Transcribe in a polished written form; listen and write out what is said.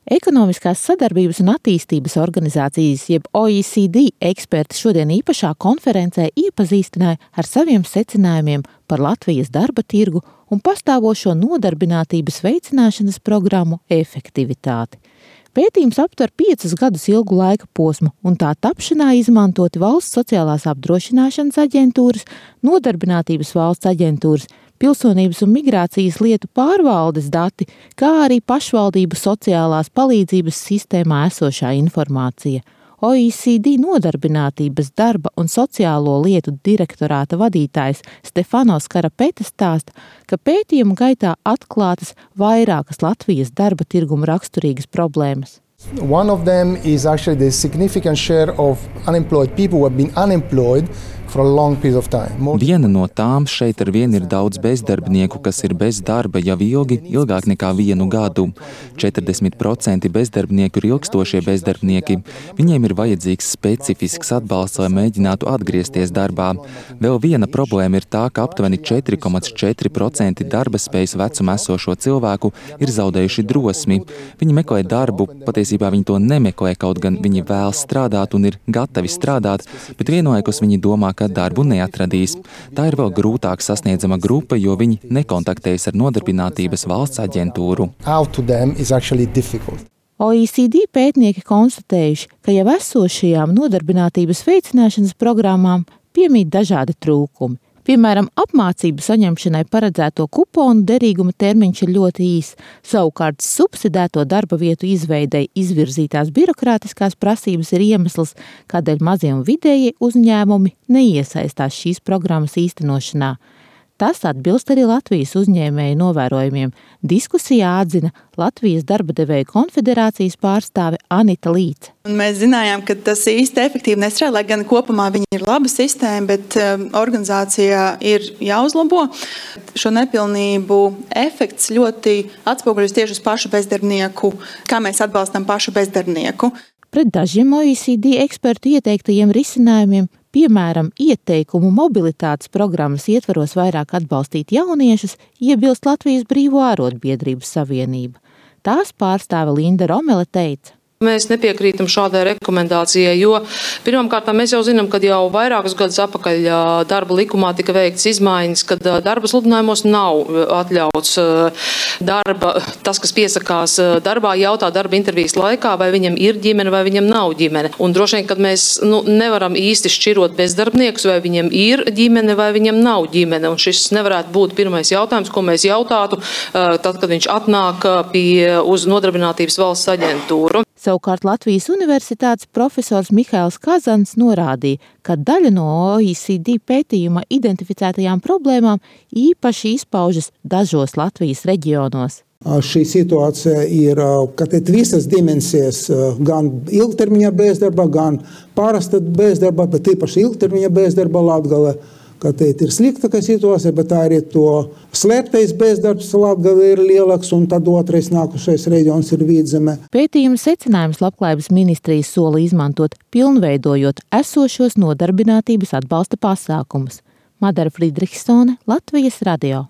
Ekonomiskās sadarbības un attīstības organizācijas, jeb OECD eksperti šodien īpašā konferencē iepazīstināja ar saviem secinājumiem par Latvijas darba tirgu un pastāvošo nodarbinātības veicināšanas programmu efektivitāti. Pētījums aptver 5 gadus ilgu laika posmu, un tā tapšanā izmantoti Valsts sociālās apdrošināšanas aģentūras, Nodarbinātības valsts aģentūras, Pilsonības un migrācijas lietu pārvaldes dati, kā arī pašvaldību sociālās palīdzības sistēmā esošā informācija. OECD Nodarbinātības darba un sociālo lietu direktorāta vadītājs Stefanos Karapetes stāsta, ka pētījuma gaitā atklātas vairākas Latvijas darba tirguma raksturīgas problēmas. One of them is actually the significant share of unemployed people who have been unemployed for a long period of time. Viena no tām šeit ar vienu ir daudz bezdarbnieku, kas ir bez darba jau ilgāk nekā 1 gadu. 40% bezdarbnieku ir ilgstošie bezdarbnieki. Viņiem ir vajadzīgs specifisks atbalsts, lai mēģinātu atgriezties darbā. Vēl viena problēma ir tā, ka aptuveni 4,4% darba spējas vecuma esošo cilvēku ir zaudējuši drosmi. Viņi meklē darbu, patiesībā viņi to nemeklē, kaut gan viņi vēlas strādāt un ir gatavi strādāt, bet vienlaikus viņi domā, ka darbu neatradīs. Tā ir vēl grūtāk sasniedzama grupa, jo viņi nekontaktējas ar Nodarbinātības valsts aģentūru. OECD pētnieki konstatējuši, ka jau esošajām nodarbinātības veicināšanas programmām piemīt dažādi trūkumi. Piemēram, apmācību saņemšanai paredzēto kuponu derīguma termiņš ir ļoti īs, savukārt subsidēto darba vietu izveidei izvirzītās birokrātiskās prasības ir iemesls, kādēļ mazie un vidējie uzņēmumi neiesaistās šīs programmas īstenošanā. Tas atbilst arī Latvijas uzņēmēju novērojumiem. Diskusijā atzina Latvijas darba devēju konfederācijas pārstāve Anita Līce. Mēs zinājām, ka tas īsti efektīvi nestrādā, lai gan kopumā viņi ir laba sistēma, bet organizācijā ir jāuzlabo. Šo nepilnību efekts ļoti atspoguļojas tieši uz pašu bezdarbnieku, kā mēs atbalstam pašu bezdarbnieku. Pret dažiem OECD ekspertu ieteiktajiem risinājumiem, piemēram, ieteikumu mobilitātes programmas ietvaros vairāk atbalstīt jauniešus, iebilst Latvijas Brīvo ārotbiedrību savienība. Tās pārstāve Linda Romele teica: Mēs nepiekrītam šādai rekomendācijai, jo pirmkārt mēs jau zinām, ka jau vairākus gadus atpakaļ darba likumā tika veikts izmaiņas, kad darba sludinājumos nav atļauts tas, kas piesakās darbā, jautā darba intervijas laikā, vai viņam ir ģimene vai viņam nav ģimene. Un droši vien, kad mēs nevaram īsti šķirot bezdarbniekus, vai viņam ir ģimene vai viņam nav ģimene. Un šis nevarētu būt pirmais jautājums, ko mēs jautātu, tad, kad viņš atnāk uz Nodarbinātības valsts aģentūru. Savukārt Latvijas Universitātes profesors Mihails Kazans norādīja, ka daļa no OECD pētījuma identificētajām problēmām īpaši izpaužas dažos Latvijas reģionos. Šī situācija ir, visas dimensijas, gan ilgtermiņa bezdarba, gan parasta bezdarba, bet īpaši ilgtermiņa bezdarba Latgale. Ka te ir sliktākā situācija, bet tā arī to slēptais bezdarbs Latgalē ir lielāks, un tad otrais nākušais reģions ir Vidzeme. Pētījuma secinājums Labklājības ministrijas sola izmantot, pilnveidojot esošos nodarbinātības atbalsta pasākumus. Madara Friedrichsone, Latvijas radio.